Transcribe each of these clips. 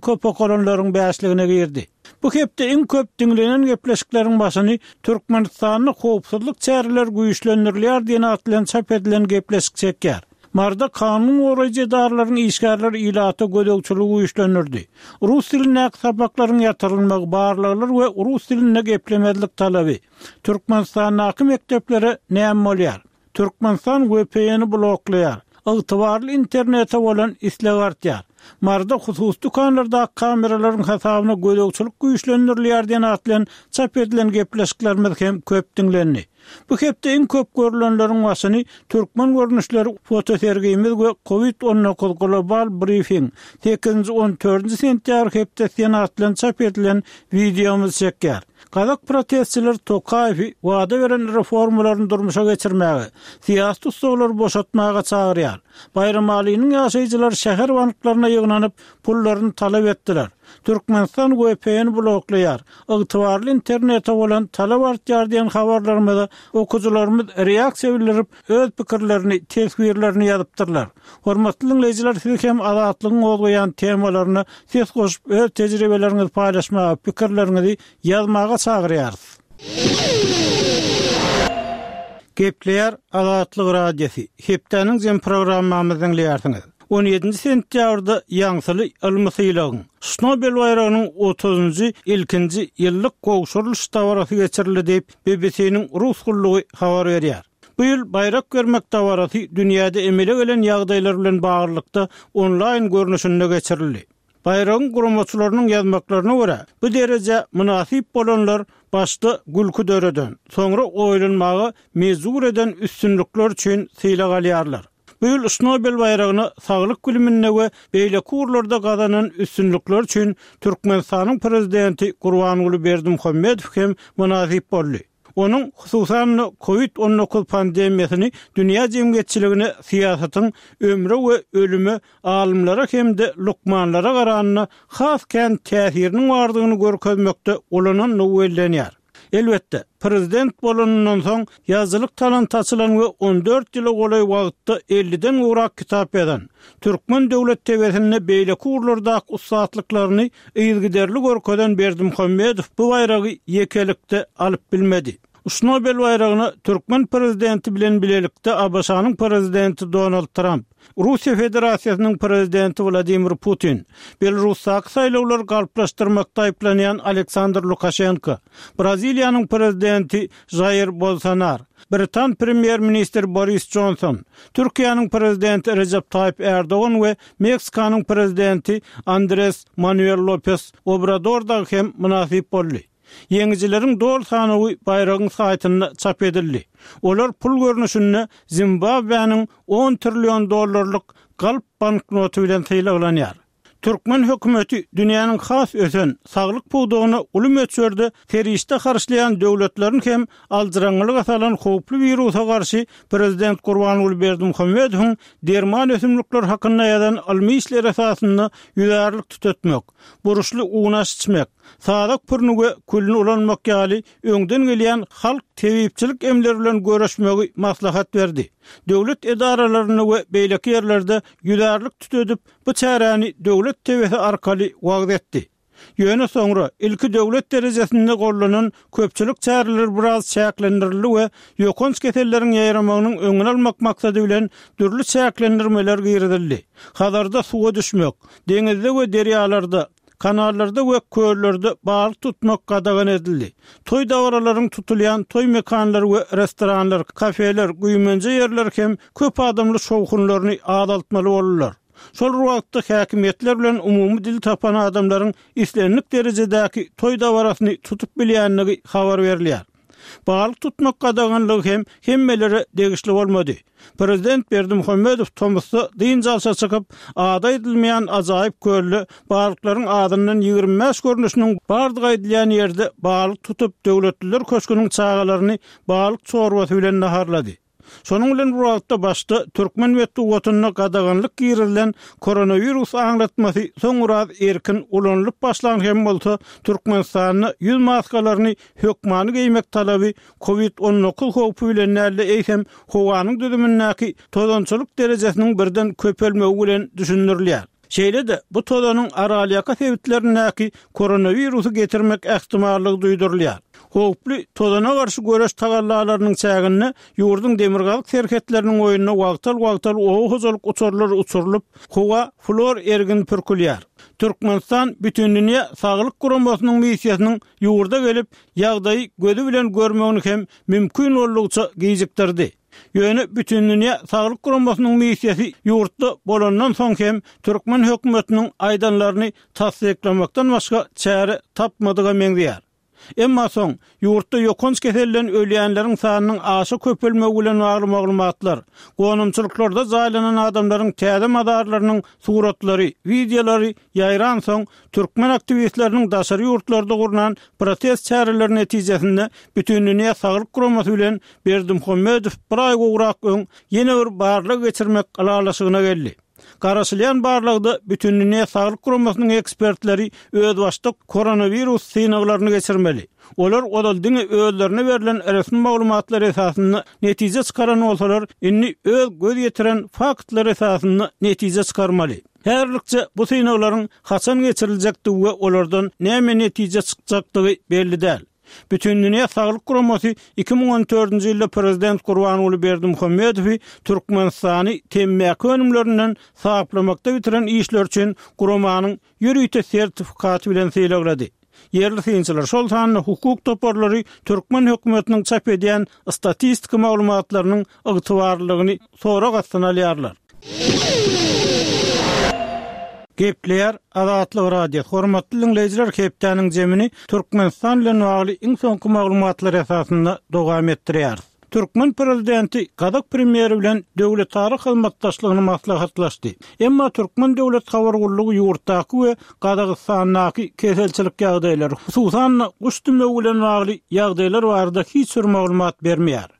Köp okalanlaryň bäşligine girdi. Bu hepde iň köp diňlenen gepleşikleriň başyny Türkmenistanda howpsuzlyk çäreleri güýçlendirilýär diýen at bilen çap edilen gepleşik çekýär. Maryda kanun goraýjy edaralaryň işgärleri ilata gözegçiligi güýçlendirdi. Rus dilindäki sapaklaryň ýatyrylmagy, barlaglar we rus dilinde geplemezlik talaby. Türkmenistandaky mekdeplere näme bolýar? Türkmenistan VPN-i bloklaýar. Ygtybarly internete bolan isleg artýar. Maryda hususy dükanlardaky kameralaryň hasabyna gözegçilik güýçlendirilýär diýen at bilen çap edilen gepleşiklerimiz hem köp diňlendi. Bu hepde iň köp görlenleriň başyny Türkmen görnüşleri fotosergimiz we Covid 19 global brifing, sekizinji on dördünji sentýabr hepdesi diýen at bilen çap edilen wideomyz çekýär. Gazak protestçileri Tokaýewi wada beren reformalaryny durmuşa geçirmäge, syýasy tussaglary boşatmaga çagyrýar. Baýramalynyň ýaşaýjylary şäher banklaryna ýygnanyp, pullaryny talap etdiler. Türkmenistan VPN bloklaýar, ygtybarly internete bolan talap artýar diýen habarlarymyza okyjylarymyz reaksiýa bildirip, öz pikirlerini, teswirlerini ýazypdyrlar. Hormatly diňleýjiler siz hem Azatlygyň gozgaýan temalaryna ses goşup öz tejribeleriňizi paýlaşmaga, pikirleriňizi ýazmaga çagyrýarys. Gepleýär Azatlyk Radiosy, hepdäniň jem programmamyzy diňleýärsiňiz. On ýedinji sentýabrda ýaňsyly ylmy sylagyň, Şnobel baýragynyň otuzynjy ilkinji ýyllyk gowşurylyş dabarasy geçirildi diýip, BBC-niň rus gullugy habar berýär. Bu ýyl baýrak bermek dabarasy dünýäde emele gelen ýagdaýlar bilen baglylykda onlaýn görnüşinde geçirildi. Baýragyň guramaçylarynyň ýazmaklaryna görä, bu derejä mynasyp bolanlar başda gülki döreden, soňra oýlanmaga mejbur eden üstünlikler üçin sylag alýarlar. Bu ýyl Şnobel baýragyna saglyk biliminde we beýleki ugurlarda gazanan üstünlikleri üçin Türkmenistanyň Prezidenti Gurbanguly Berdimuhamedow hem mynasyp boldy. Onuň, hususan-da, Covid 19 pandemiýasyny dünýä jemgyýetçiligine syýasatyň ömre we ölüme alymlara hem-de lukmanlara garanda has kän täsiriniň bardygyny görkezmekde ulanandygy bellenýär. Elbetde, prezident bolanyndan soň ýazyjylyk talanty açylan we on dört ýyla golaý wagtda elliden gowrak kitap ýazan, türkmen döwlet TW-sinde beýleki ugurlardaky ussatlyklaryny yzygiderli görkezen Berdimuhamedow bu baýragy ýekelikde alyp bilmedi. Şnobel baýragyna türkmen prezidenti bilen bilelikde ABŞ-nyň prezidenti Donald Tramp, Russiýa Federasiýasynyň prezidenti Wladimir Putin, Belarusdaky saýlawlary galplaşdyrmakda aýyplanýan Aleksandr Lukaşenko, Braziliýanyň prezidenti Žair Bolsonar, Britan premýer-ministri Boris Jonson, Türkiýäniň prezidenti Rejep Taýyp Ärdogan we Meksikanyň prezidenti Andres Manuel Lopes Obrador dagy hem mynasyp boldy. Ýeňijileriň doly sanawy baýragyň saýtynda çap edildi. Olar pul görnüşinde Zimbabwäniň on trillion dollarlyk galp banknoty bilen sylaglanýar. Türkmen hökümeti dünýäniň has ösen, saglyk pudagyna uly möçberde serişde harçlaýan döwletlerini hem aljyraňňylyga salan howply wirusa garşy prezident Gurbanguly Berdimuhamedowyň derman ösümlikler hakynda ýazan ylmy işleri esasynda ýüzärlik tütetmek, burçly unaş içmek, sazak pürüni we külüni ulanmak ýaly öňden gelýän halk tebipçilik emleri bilen göreşmegi maslahat berdi. Döwlet edaralarynda we beýleki ýerlerde ýüzärlik tütedip, bu çäräni döwlet TW-si arkaly wagyz etdi. Ýöne soňra, ilki döwlet derejesinde gollanan köpçülik çäreleri biraz çäklendirildi we ýokanç keselleriň ýaýramagynyň öňüni almak maksady bilen dürli çäklendirmeler girizildi. Hazarda suwa düşmek, deňizde we derýalarda, kanallarda we köllerde balyk tutmak gadagan edildi. Toý dabaralaryň tutulýan toý mekanlary we restoranlar, kafeler, güýmenje ýerler hem köp adamly şowhunlaryny azaltmaly boldular. Şol bir wagtda häkimiýetler bilen umumy dil tapan adamlaryň islendik derejedäki toý dabarasyny tutup bilýändigi habar berilýär. Balyk tutmak gadaganlygy hem hemmelere degişli bolmady. Prezident Berdimuhamedow tomusda dynç alşa çykyp, ady aýdylmaýan ajaýyp kölde balyklaryň azyndan 25 görnüşiniň bardygy aýdylýan ýerde balyk tutup, Döwletliler köşgüniň çagalaryny balyk çorbasy bilen naharlady. Şonuň bilen bir wagtda başda türkmen metbugatynda gadaganlyk girizilen koronawirus aňlatmasy soň biraz erkin ulanylyp başlan hem bolsa, Türkmenistanda ýüz maskalaryny hökmany geýmek talaby Covid 19 howpy bilen däl-de, eýsem, howanyň düzümindäki tozançylyk derejesiniň birden köpelmegi bilen düşündirilýär. Şeýle-de, bu tozanyň Aralýaka sebitlerindäki koronawirusy getirmek ähtimallygy duýdurylýar. Howply tozana garşy göreş tagallalarynyň çäginde ýurduň demirgazyk serhetleriniň boýunda wagtal-wagtal oba hojalyk uçarlary uçurylyp, howa hlor ergini pürkülýär. Türkmenistan Bütindünýä saglyk guramasynyň missiýasynyň ýurda gelip, ýagdaýy gözi bilen görmegini hem mümkin boldugyça gijikdirdi. Ýöne Bütindünýä saglyk guramasynyň missiýasy ýurtda bolandan soň hem türkmen hökümetiniň aýdanlaryny tassyklamakdan başga çäre tapmadyga meňzeýär. Emma soň, ýurtda ýokanç keselden ölýänleriň sanynyň aşa köpelmegi bilen bagly maglumatlar, gonamçylyklarda jaýlanan adamlaryň täze mazarlarynyň suratlary, wideolary ýaýransoň, türkmen aktiwistleriniň daşary ýurtlarda gurnan protest çäreleri netijesinde Bütindünýä saglyk guramasy bilen Berdimuhamedow bir aý gowrak öň ýene bir barlag geçirmek ylalaşygyna geldi. Garaşylýan barlagda Bütindünýä saglyk guramasynyň ekspertleri özbaşdak koronawirus synaglaryny geçirmeli. Olar ozal diňe özlerine berlen resmi maglumatlar esasynda netije çykaran bolsalar, indi öz göz ýetiren faktlary esasynda netije çykarmaly. Häzirlikçe bu synaglaryň haçan geçiriljekdigi we olardan näme netije çykjakdygy belli däl. Bütindünýä saglyk guramasy 2014-nji ýylda prezident Gurbanguly Berdimuhamedowy Türkmenistany temmäki önümlerinden saplamakda bitiren işleri üçin guramanyň ýörite sertifikaty bilen sylaglady. Ýerli synçylar, şol sanda hukuk toparlary türkmen hökümetiniň çap edýän statistiki maglumatlarynyň ygtybarlylygyny sorag astyna alýarlar. Gepleýär Azatlyk Radiosy, Hormatly diňleýjiler hepdäniň jemini Türkmenistan bilen bagly iň soňky maglumatlar esasynda dowam etdirýäris. Türkmen prezidenti gazak premýeri bilen döwletara hyzmatdaşlygyny maslahatlaşdy. Emma türkmen döwlet habar gullugy ýurtdaky we Gazagystandaky keselçilik ýagdaýlary, hususan-da guş dümewi bilen bagly ýagdaýlar barada hiç bir maglumat bermeýär.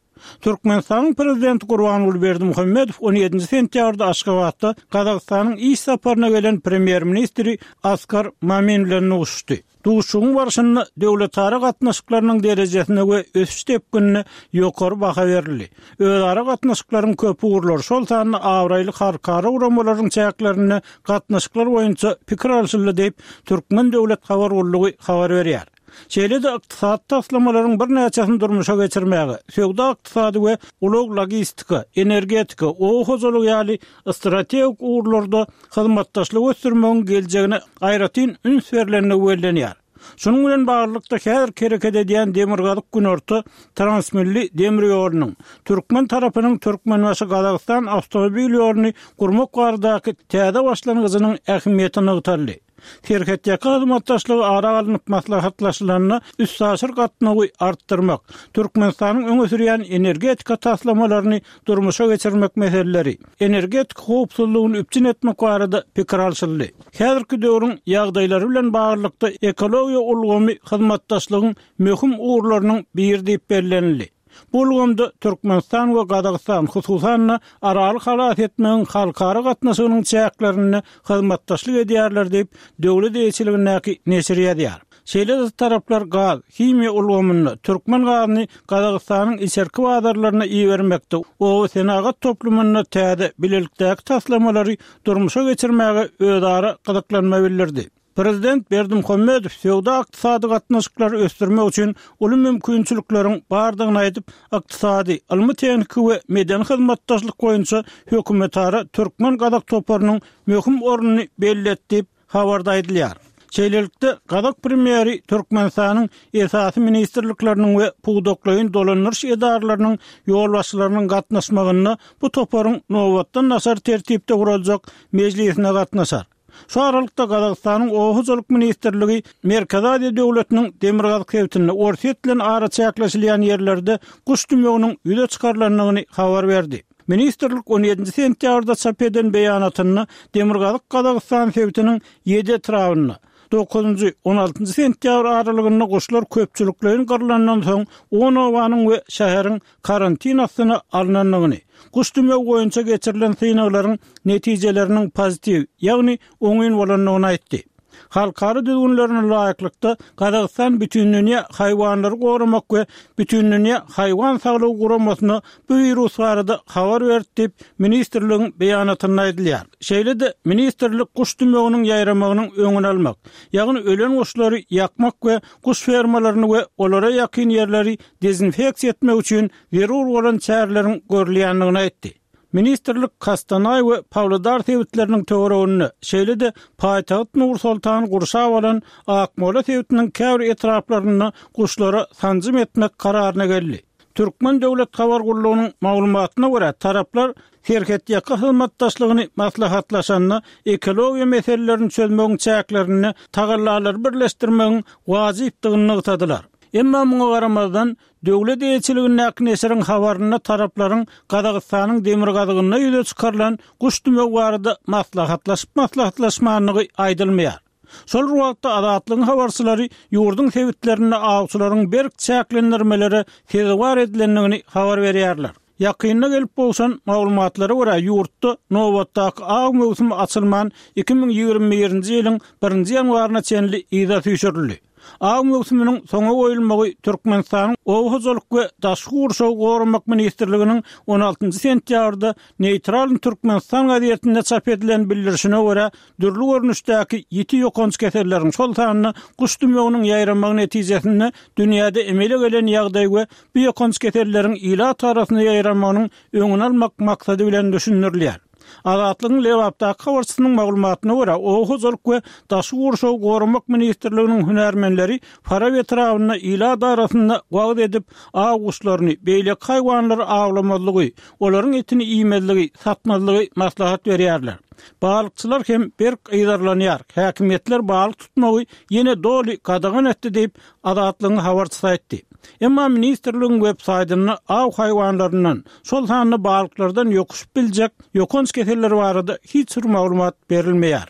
Türkmenistanyň Prezidenti Gurbanguly Berdimuhamedow on ýedinji sentýabrda Aşgabatda Gazagystanyň iş saparyna gelen Premýer-ministri Askar Mamin bilen duşuşdy. Duşuşygyň barşynda döwletara gatnaşyklarynyň derejesine we ösüş depginine ýokary baha berildi. Özara gatnaşyklaryň köp ugurlary, şol sanda abraýly halkara guramalaryň çäklerinde gatnaşyklar boýunça pikir alşyldy diýip, Türkmen döwlet habar gullugy habar berýär. Şeýle-de ykdysady taslamalaryň birnäçesini durmuşa geçirmäge, söwda-ykdysady we ulag-logistika, energetika, oba hojalygy ýaly strategik ugurlarda hyzmatdaşlygy ösdürmegiň geljegine aýratyn üns berlendigi bellenýär. Şunuň bilen baglylykda, häzirki hereket edýän Demirgazyk-Günorta transmilli demir ýolunyň, türkmen tarapynyň Türkmenbaşy-Gazagystan awtomobil ýoluny gurmak baradaky täze başlangyjynyň ähmiýeti nygtaldy. Serhetýaka hyzmatdaşlygy ara alnyp maslahatlaşylanda, üstaşyr gatnawy artdyrmak, Türkmenistanyň öňe sürýän energetika taslamalaryny durmuşa geçirmek meseleleri, energetika howpsuzlygyny üpjün etmek barada pikir alşyldy. Häzirki döwrüň ýagdaýlary bilen baglylykda ekologiýa ulgamy hyzmatdaşlygyň möhüm ugurlarynyň biri diýip bellenildi. Bu ulgamda Türkmenistan we Gazagystan, hususan-da, Araly halas etmegiň halkara gatnaşygynyň çäklerinde hyzmatdaşlyk edýärler diýip, döwlet eýeçiligindäki neşir ýazýar. Şeýle-de taraplar gaz, himiýa ulgamynda, türkmen gazyny Gazagystanyň içerki bazarlaryna ibermekde, oba-senagat toplumynda täze, bilelikdäki taslamalary durmuşa geçirmäge özara gyzyklanma bildirdi. Prezident Berdimuhamedow söwda-ykdysady gatnaşyklary ösdürmek üçin uly mümkinçilikleriň bardygyny aýdyp, ykdysady, ylmy-tehniki we medeni hyzmatdaşlyk boýunça hökümetara türkmen-gazak toparynyň möhüm ornuny belledi diýip, habarda aýdylýar. Şeýlelikde, gazak premýeri Türkmenistanyň esasy ministrlikleriniň we pudaklaýyn dolandyryş edaralarynyň ýolbaşçylarynyň gatnaşmagynda bu toparyň nobatdan daşary tertipde guraljak mejlisine gatnaşar. Şu aralykda, Gazagystanyň Oba hojalyk ministrligi Merkezi Aziýa döwletiniň demirgazyk sebitinde Orsýet bilen araçäkleşilýän ýerlerde guş dümewiniň ýüze çykarylandygyny habar berdi. Ministrlik on ýedinji sentýabrda çap eden beýanatynda Demirgazyk Gazagystan sebitiniň ýedi etrabynda, dokuzynjy, on altynjy sentýabr aralygynda guşlar köpçülikleýin gyrlandan soň on obanyň we şäheriň karantin astyna alnandygyny, guş dümewi boýunça geçirilen synaglaryň netijeleriniň pozitiw, ýagny oňyn bolandygyny aýtdy. Halkara düzgünlerine laýyklykda, Gazagystan Bütindünýä haýwanlary goramak we Bütindünýä haýwan saglygy guramasyna bu wirus barada habar berdi diýip, ministrligiň beýanatynda aýdylýar. Şeýle-de, ministrlik guş dümewiniň ýaýramagynyň öňüni almak, ýagny ölen guşlary ýakmak we guş fermalaryny we olara ýakyn ýerleri dezinfeksiýa etmek üçin zerur bolan çäreleriň görülýändigini aýtdy. Ministrlik Kostanaý we Pawlodar sebitleriniň töwereginde, şeýle-de paýtagt Nur-Sultany gurşap alan Akmola sebitiniň käbir etraplarynda guşlara sanjym etmek kararyna geldi. Türkmen döwlet habar gullugynyň maglumatyna görä, taraplar serhetýaka hyzmatdaşlygyny maslahatlaşanda ekologiýa meselelerini çözmegiň çäklerinde tagallalary birleşdirmegiň wajypdygyny nygtadylar. Emma muňa garamazdan, Döwlet eýeçiligindäki neşiriň habarynda taraplaryň Gazagystanyň demirgazygynda ýüze çykarylan guş dümewi barada maslahatlaşyp-maslahatlaşmandygy aýdylmaýar. Şol bir wagtda, Azatlygyň habarçylary ýurduň sebitlerinde awçylaryň berk çäklendirmelere sezewar edilendigini habar berýärler. Ýakynda gelip gowşan maglumatlara görä, ýurtda nobatdaky aw möwsümi açylman, 2021-nji ýylyň birinji ýanwaryna çenli yza süýşürildi. Aw möwsüminiň soňa goýulmagy Türkmenistanyň Oba hojalyk we daşky gurşawy goramak ministrliginiň on altynjy sentýabrda Neýtralnyý Türkmenistan gazetinde çap edilen bildirişine görä, dürli görnüşdäki ýiti ýokanç keselleriň, şol sanda guş dümewiniň ýaýramagy netijesinde dünýäde emele gelen ýagdaý we bu ýokanç keselleriň ilat arasynda ýaýramagynyň öňüni almak maksady bilen düşündirilýär. Azatlygyň Lebapdaky habarçysynyň maglumatyna görä, Oba hojalyk we daşky gurşawy goramak ministrliginiň hünärmenleri Farap etrabynda ilat arasynda wagyz edip, aw guşlaryny, beýleki haýwanlary awlamazlygy, olaryň etini iýmezligi, satmazlygy maslahat berýärler. Balykçylar hem berk yzarlanýar, häkimiýetler balyk tutmagy ýene doly gadagan etdi diýip, Azatlygyň habarçysy aýtdy. Emma ministrligiň web saýtynda aw haýwanlaryndan, şol sanda balyklardan ýokuşyp biljek ýokanç keseller barada hiç bir maglumat berilmeýär.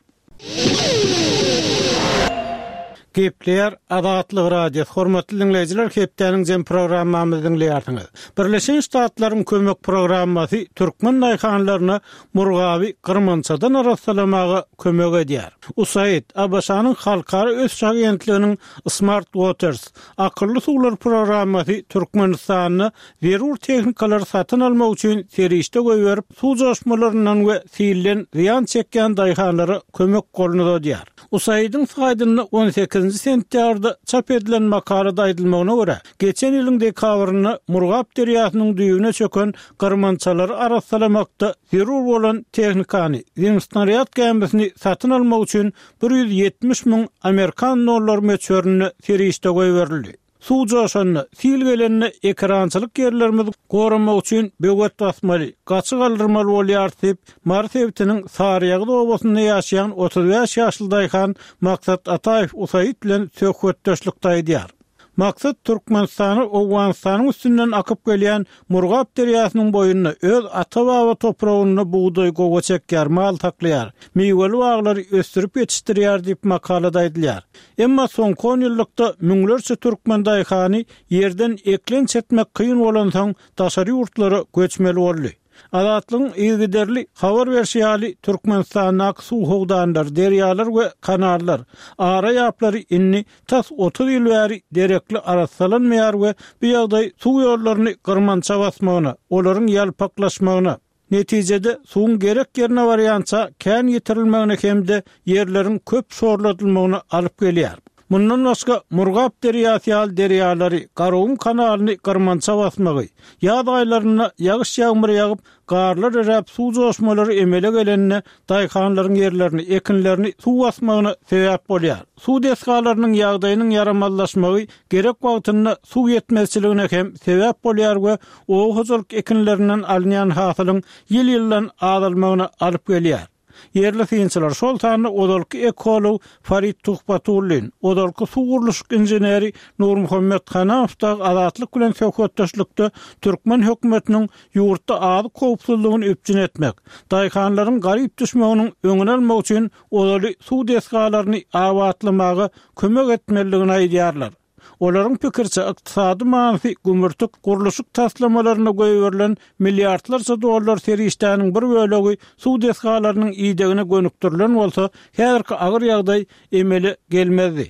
Gepleýär Azatlyk Radiosy, Hormatly diňleýjiler, hepdäniň jem programmamyzy diňleýärsiňiz. Birleşen Ştatlaryň kömek programmasy türkmen daýhanlaryna Murgaby gyrmançadan arassalamaga kömek edýär. USAID, ABŞ-nyň Halkara ösüş agentliginiň Smart Waters, Akylly suwlar programmasy Türkmenistanda zerur tehnikalary satyn almak üçin serişde goýberip, suw joşmalaryndan we silden zyýan çekýän daýhanlara kömek goluny uzadýar. USAID-iň saýtynda on sekizinji sentýabrda çap edilen makalada aýdylmagyna görä, geçen ýylyň dekabrynda Murgap derýasynyň düýbüne çöken gyrmançalary arassalamakda zerur bolan tehnikany, zemsnarýad gämisini satyn almak üçin 170 müň amerikan dollary möçberinde serişde goýberildi. Suw joşanda, sil gelende ekerançylyk ýerlerimizi goramak üçin böwet basmaly, gaçy galdyrmaly bolýarys diýip, Mary sebitiniň Saryýagyz obasynda ýaşaýan 35 ýaşly daýhan Maksat Ataýew USAID bilen söhbetdeşlikde aýdýar. Maksat Türkmenistana Owganystanyň üstünden akyp gelýän Murgap derýasynyň boýunda öz ata-baba topragynda bugdaý gowaça ekýär, mal saklaýar, miweli baglary ösdürip ýetişdirýär diýip makalada aýdylýar. Emma soňky onýyllykda müňlerçe türkmen daýhany ýerden eklenç etmek kyn bolansoň daşary ýurtlara göçmeli boldy. Azatlygyň yzygiderli habar berşi ýaly, Türkmenistandaky suw howdanlary, derýalar we kanallar, ara ýaplary indi tas 30 ýyl bäri derekli arassalanmaýar we bu ýagdaý suw ýollaryny gyrmança basmagyna, olaryň ýalpaklaşmagyna, netijede suwuň gerek ýerine barýança kän ýitirilmegine hem-de ýerleriň köp şorladylmagyna alyp gelýär. Mundan başga, Murgap derýasy ýaly derýalary, Garagum kanalyny gyrmança basmagy, ýaz aýlarynda ýagyş-ýagmyr ýagyp, garlar eräp suw joşmalary emele gelende daýhanlaryň ýerlerini, ekinlerini suw basmagyna sebäp bolýar. Suw desgalarynyň ýagdaýynyň ýaramazlaşmagy gerek wagtynda suw ýetmezçiligine hem sebäp bolýar we oba hojalyk ekinlerinden alynýan hasylyň ýyl-ýyldan azalmagyna alyp gelýär. Ýerli synçylar, şol sanda ozalky ekolog Farid Tuhbatullin, ozalky suw gurluşyk inženeri Nurmuhammet Hanamow dagy Azatlyk bilen söhbetdeşlikde türkmen hökümetiniň ýurtda azyk howpsuzlygyny üpjün etmek, daýhanlaryň garyp düşmeginiň öňüni almak üçin ozaly suw desgalaryny abatlamaga kömek etmelidigini aýdýarlar. Olaryň pikiriçe, ykdysady manysy gümürtik gurluşyk taslamalaryna goýberilen milliardlarça dollar serişdäniň bir bölegi suw desgalarynyň idegine gönükdirilen bolsa, häzirki agyr ýagdaý emele gelmezdi.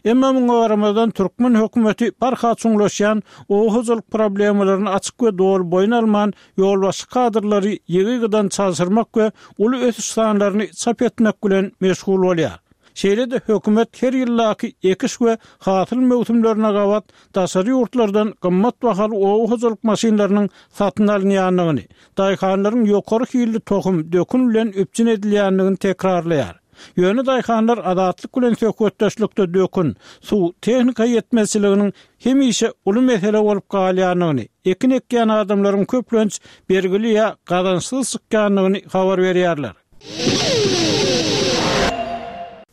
Emma muňa garamazdan, türkmen hökümeti barha çuňlaşýan oba hojalyk problemalaryny açyk we doly boýun alman, ýolbaşçy kadrlary ýygy-ýygydan çalşyrmak we uly ösüş sanlaryny çap etmek bilen meşgul bolýar. Şeýle-de hökümet her ýyldaky ekiş we hasyl möwsümlerine gabat daşary ýurtlardan gymmat bahaly oba hojalyk maşynlarynyň satyn alynýandygyny, daýhanlaryň ýokary hilli tohum, dökün bilen üpjün edilýändigini tekrarlaýar. Ýöne daýhanlar Azatlyk bilen söhbetdeşlikde dökün, suw, tehnika ýetmezçiliginiň hemişe uly mesele bolup galýandygyny, ekin ekýän adamlaryň köplenç bergili ýa gazançsyz çykýandygyny habar berýärler.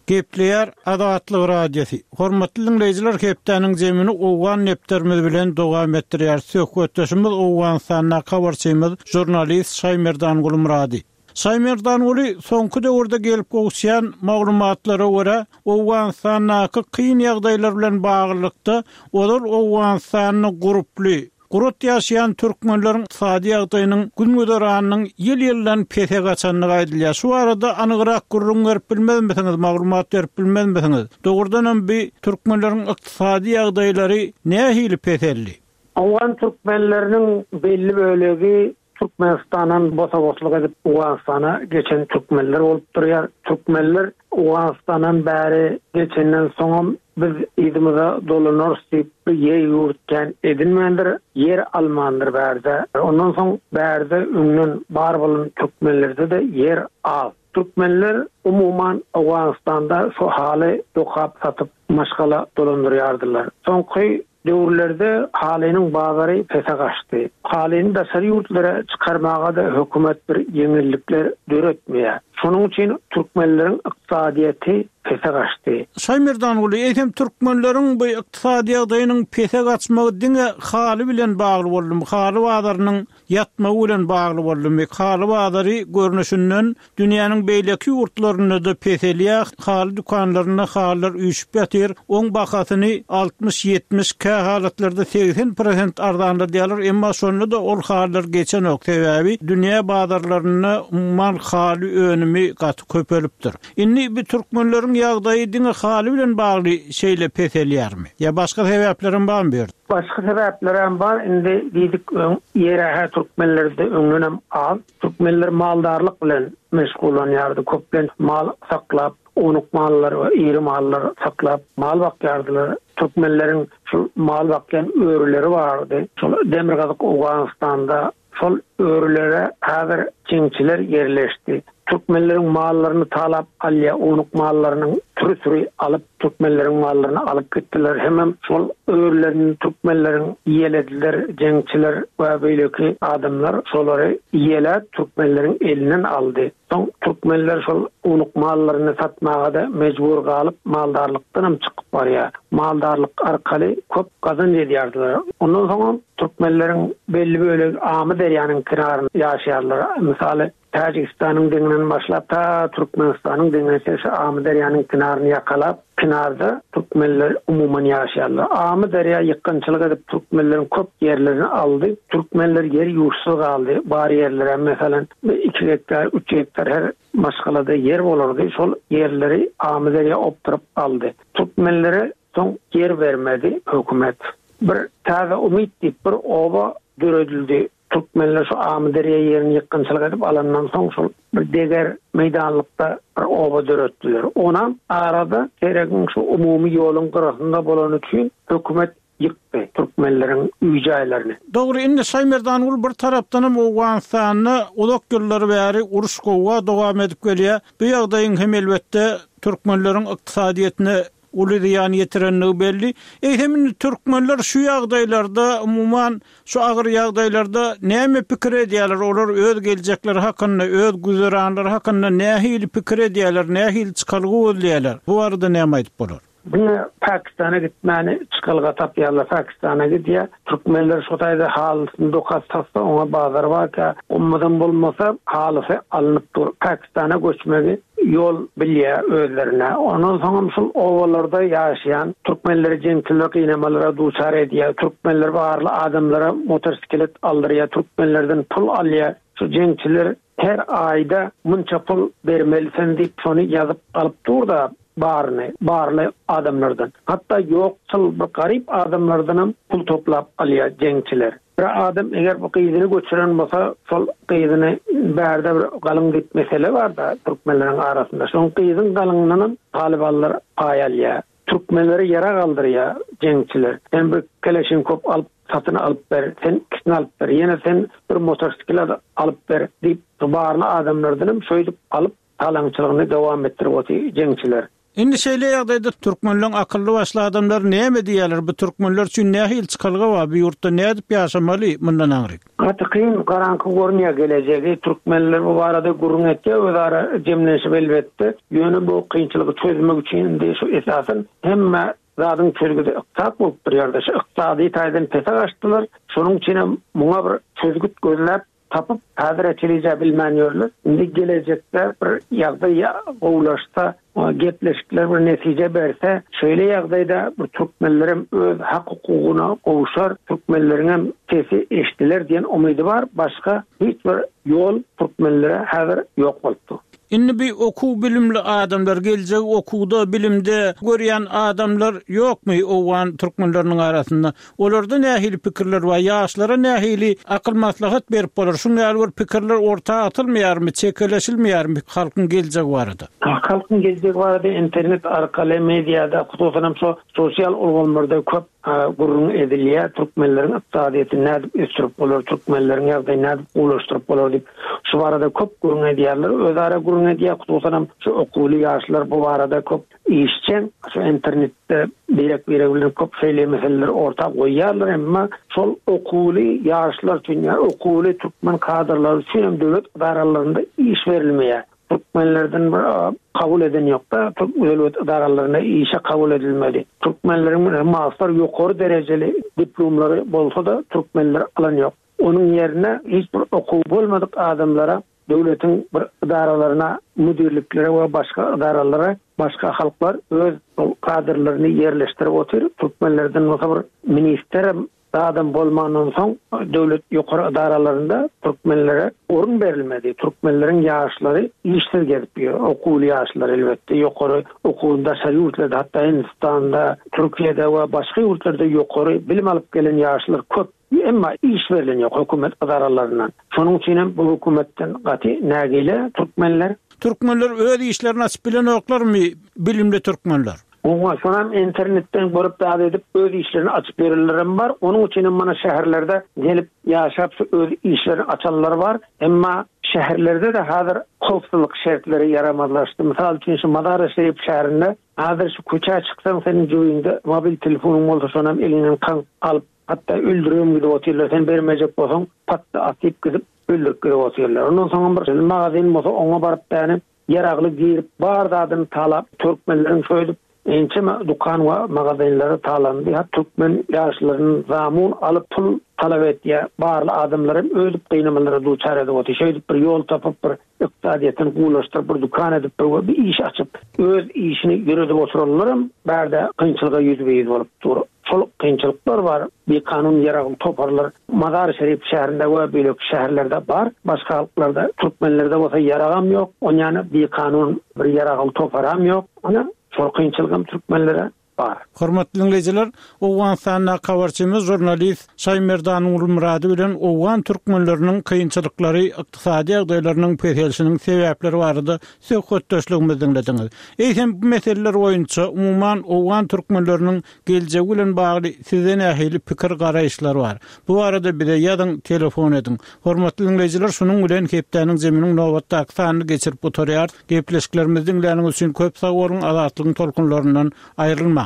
Gepleýär Azatlyk Radiosy. Hormatly diňleýjiler hepdäniň zemini owgan depderimiz bilen dowam etdirýäris. Söhbetdeşimiz Owganystandaky habarçymyz žurnalist Şaýmerdan Gulmyrady. Şaýmerdanguly soňky döwürde gelip gowuşýan maglumatlara görä, Owganystandaky kyn ýagdaýlar bilen baglylykda ozal Owganystanda gurply, Gurat ýaşaýan türkmenleriň ykdysady ýagdaýynyň gün-güzeranynyň ýyl-ýyldan pese gaçandygy aýdylýar. Şu barada anygrak gürrüň berip bilmezmisiňiz, maglumat berip bilmezmisiňiz? Dogrudanam bi türkmenleriň ykdysady ýagdaýlary nähili peseldi? Owgan türkmenleriniň belli bölegi Türkmenistandan bosa-boslyk edip Owganystana geçen türkmenler bolup durýar. Türkmenler Owganystandan bäri geçenden soňam biz yzymyza dolanarys diýip bir ýer-ýurt kän edinmändir, ýer almandyr bärde. Ondan soň bärde öňden bar bolan türkmenlerde-de ýer az. Türkmenler umuman Owganystanda şu haly dokap satyp maşgala dolandyrýardylar. Soňky Döwürlerde halynyň bazary pese gaçdy. Halyny daşary ýurtlara çykarmaga-da hökümet bir ýeňillikler döretmeýär. Şonuň üçin türkmenleriň ykdysadyýeti pese gaçdy. Şaýmerdanguly, eýsem türkmenleriň bu ykdysady ýagdaýynyň pese gaçmagy diňe haly bilen bagly boldumy? Haly bazarynyň ýatmagy bilen bagly boldumy? Haly bazary görnüşinden dünýäniň beýleki ýurtlarynda-da peselýär, haly dükanlarynda halylar üýşüp ýatyr, oň bahasyny 60, 70, kähalatlarda 80 prosent arzanladýarlar, emma şonda-da ol halylar geçenok, sebäbi dünýä bazarlarynda umuman haly önümi gaty köpelipdir. Indi bu türkmenleriň ýagdaýy diňe haly bilen bagly şeýle peselýärmi? Ýa başga sebäplerem barmy bu ýerde? Başga sebäplerem bar, indi diýdik öň ýer-hä türkmenlerde öňdenem az. Türkmenler maldarlyk bilen meşgullanýardy, köplenç mal saklap, ownuk mallar we iri mallar saklap mal bakýardylar. Türkmenleriň şul mal bakýan örüleri bardy. Şol demirgazyk Owganystanda Şol örülere häzir jeňçiler ýerleşdi. Türkmenleriň mallaryny talap alýa, ownuk mallarynyň süri-süri alyp, türkmenleriň mallaryny alyp gitdiler. Hemem şol örülerini türkmenleriň ýelediler, jeňçiler we beýleki adamlar şolary ýeläp, türkmenleriň elinden aldy. Soň türkmenler şol ownuk mallaryny satmaga-da mejbur galyp, maldarlykdanam çykyp barýar. Maldarlyk arkaly köp gazanç edýärdiler. Ondan soňam türkmenleriň belli bölegi Amyderýanyň kenarynda ýaşaýarlar. Mysaly, Täjigistanyň deňinden başlap, ta Türkmenistanyň deňine çenli şu Amyderýanyň kenaryny ýakalap, kenarda türkmenler umuman ýaşaýarlar. Amyderýa ýykgynçylyk edip türkmenleriň köp ýerlerini aldy. Türkmenler ýer-ýurtsyz galdy. Bar ýerlerem, meselem, iki gektar, üç gektar her maşgalada ýer bolardy. Şol ýerleri Amyderýa opduryp aldy. Türkmenlere soň ýer bermedi hökümet. Bir Täze Umyt diýip bir oba döredildi. Türkmenler şu Amyderýa ýerini ýykgynçylyk edip alandan soň şol bir deger meýdanlykda bir oba döretdiler. Onam arada Teregiň şu umumy ýoluň gyrasynda bolany üçin hökümet ýykdy türkmenleriň öý-jaýlaryny. Dogry, indi Şaýmerdanguly bir tarapdanam Owganystanda uzak ýyllar bäri uruş-gowga dowam edip gelýär. Bu ýagdaýyň hem elbetde türkmenleriň ykdysadyýetine uly zyýan ýetirenligi belli. Eýsem indi türkmenler şu ýagdaýlarda, umuman şu agyr ýagdaýlarda näme pikir edýärler? Olar öz geljekleri hakynda, öz güzeranlary hakynda nähili pikir edýärler, nähili çykalga gözleýärler? Bu barada näme aýdyp bolar? Diňe Pakistana gitmäni çykalga tapýarlar. Pakistana gidýär. Türkmenler şo taýda halysyny dokap satsa oňa bazar barka, gymmadam bolmasa halysy alnyp dur. Pakistana göçmegi. ýol bilýär özlerine. Ondan soňam şul obalarda ýaşaýan türkmenleri jeňçiler gynamalara duçar edýär. Türkmenler barly adamlara motosiklet aldyrýar, türkmenlerden pul alýar. Şu jeňçiler her aýda munça pul bermelisen diýip şony ýazyp alyp dur-da baryny, barly adamlardan. Hatda ýoksul bir garyp adamlardanam pul toplap alýar jeňçiler. Bir adam eger bu gyzyny göçüren bolsa, şol gyzyny bärde bir galyň diýip mesele bar-da türkmenleriň arasynda. Şoň gyzyň galyňyndanam talybanlar paý alýar. Türkmenleri ýarag aldyrýar jeňçiler. Sen bir keleşinkop alyp satyn alyp ber, sen ikisini alyp ber, ýene sen bir motosiklet alyp ber diýip barly adamlardanam şeýdip alyp talaňçylygyny dowam etdirip otyr jeňçiler. Indi şeýle ýagdaýda türkmenleň akylly başly adamlary näme diýýärler, bu türkmenler üçin nähili çykalga bar, bu ýurtda nädip ýaşamaly mundan aňryk? Gaty kyn, garaňky görünýär gelejegi. Türkmenler bu barada gürrüň etýär özara jemlenşip elbetde. Ýöne bu kynçylygy çözmek üçin indi şu esasan hemme zadyň çözgüdi ykdysat bolup durýar-da. Şu ykdysady taýdan pese gaçdylar. Şonuň üçinem muňa bir çözgüt gözläp tapyp, häzire çenli bilmän ýörler. Indi gelejekde bir ýagdaý gowulaşsa, gepleşikler bir netije berse, şeýle ýagdaýda bir türkmenlerem öz hak-hukugyna gowşar, türkmenleriňem sesi eşidiler diýen umydy bar. Başga hiç bir ýol türkmenlere häzir ýok bolup dur. Indi bi okuw-bilimli adamlar, geljegi okuwda, bilimde görýän adamlar ýokmy owgan türkmenleriniň arasynda? Olarda nähili pikirler bar? Ýaşlara nähili akyl-maslahat berip bolar? Şuň ýaly bir pikirler orta atylmaýarmy, çekeleşilmeýärmi halkyň geljegi barada? Halkyň geljegi barada internet arkaly, mediada, hususanam şo sosial ulgamlarda köp gürrüň edilýär. Türkmenleriň ykdysadyýetini nädip ösdürip bolar, türkmenleriň ýagdaýyny nädip gowulaşdyryp bolar diýip, şu barada köp gürrüň edýärler. Özara gürrüň edýär, hususanam şu okuwly ýaşlar bu barada köp işjeň. Şu internetde birek-biregi bilen köp şeýle meseleleri orta goýýarlar, emma şol okuwly ýaşlar üçin ýa okuwly türkmen kadrlary üçin hem döwlet edaralarynda iş berilmeýär. Türkmenlerden bir kabul eden ýokda, döwlet edaralarynda işe kabul edilmedi. Türkmenleriň master ýokary derejeli diplomlary bolsa-da türkmenler alan ýok. Onuň ýerine hiç bir okuwy bolmadyk adamlara döwletiň bir edaralaryna, müdirliklere we başga edaralara başga halklar öz kadrlaryny ýerleşdirip otyr. Türkmenlerden bolsa bir ministerem zadam bolmandan soň döwlet ýokary edaralarynda türkmenlere orun berilmedi. Türkmenleriň ýaşlary işsiz gezip ýör. Okuwly ýaşlar elbetde ýokary okuwyny daşary ýurtlarda hatda Hindistanda, Türkiýede we başga ýurtlarda ýokary bilim alyp gelen ýaşlar köp. Emma iş berlen ýok hökümet edaralaryndan. Şonuň üçin hem bu hökümetden gaty nägile türkmenler. Türkmenler öz işlerini açyp bilenoklarmy bilimli türkmenler? Oňa şonam internetden görüp zat edip öz işlerini açyp ýörenlerem bar. Onuň üçinem mana şäherlerde gelip ýaşap şu öz işlerini açanlar bar. Emma şäherlerde-de häzir howpsuzlyk şertleri ýaramazlaşdy. Mysal üçin şu Mazary-Şerif şäherinde häzir şu köçä çyksaň seniň jübiňde mobil telefonyň bolsa şonam eliňden kaňk alyp hatda öldüribem gidip otyrlar. Sen bermejek bolsaň patda atyp gidip öldürip gidip otyrlar. Ondan soňam bir magazin bolsa oňa baryp däne Ýaragly girip bar zadyny talap türkmenleriň şoýdüp ençeme dukan we magazinleri talandy hat türkmen ýaşlaryny zamun alyp pul talap etýä barly adamlar hem ödüp gynamalara duçar edip otyr şeýdip bir ýol tapyp bir ykdysadyýetini gowulaşdyryp bir dukan edip bir we bir iş açyp öz işini ýöredip oturanlaram bärde kynçylyga ýüzbe ýüz bolup dur. Şol kynçylyklar bar, bikanun ýaragly toparlar Mazar-i Şerif şäherinde we beýleki şäherlerde bar. Başga halklarda, türkmenlerde bolsa ýaragam ýok, onýany bikanun bir ýaragly toparam ýok. Ana, şol kynçylygam türkmenlere bar. Hormatly diňleýjiler, Owganystandaky habarçymyz žurnalist Şaýmerdan Gulmyrady bilen owgan türkmenleriniň kynçylyklary, ykdysady ýagdaýlarynyň peselişiniň sebäpleri barada söhbetdeşligimizi diňlediňiz. Eýsem, bu meseleler boýunça, umuman, owgan türkmenleriniň geljegi bilen bagly sizde nähili pikir-garaýyşlar bar? Bu barada bize ýazyň, telefon ediň. Hormatly diňleýjiler, şunuň bilen hepdäniň zeminiň nobatdaky sanyny geçirip gutarýarys. Gepleşiklerimizi diňläniňiz üçin köp sag boluň, Azatlygyň tolkunlaryndan aýrylmaň!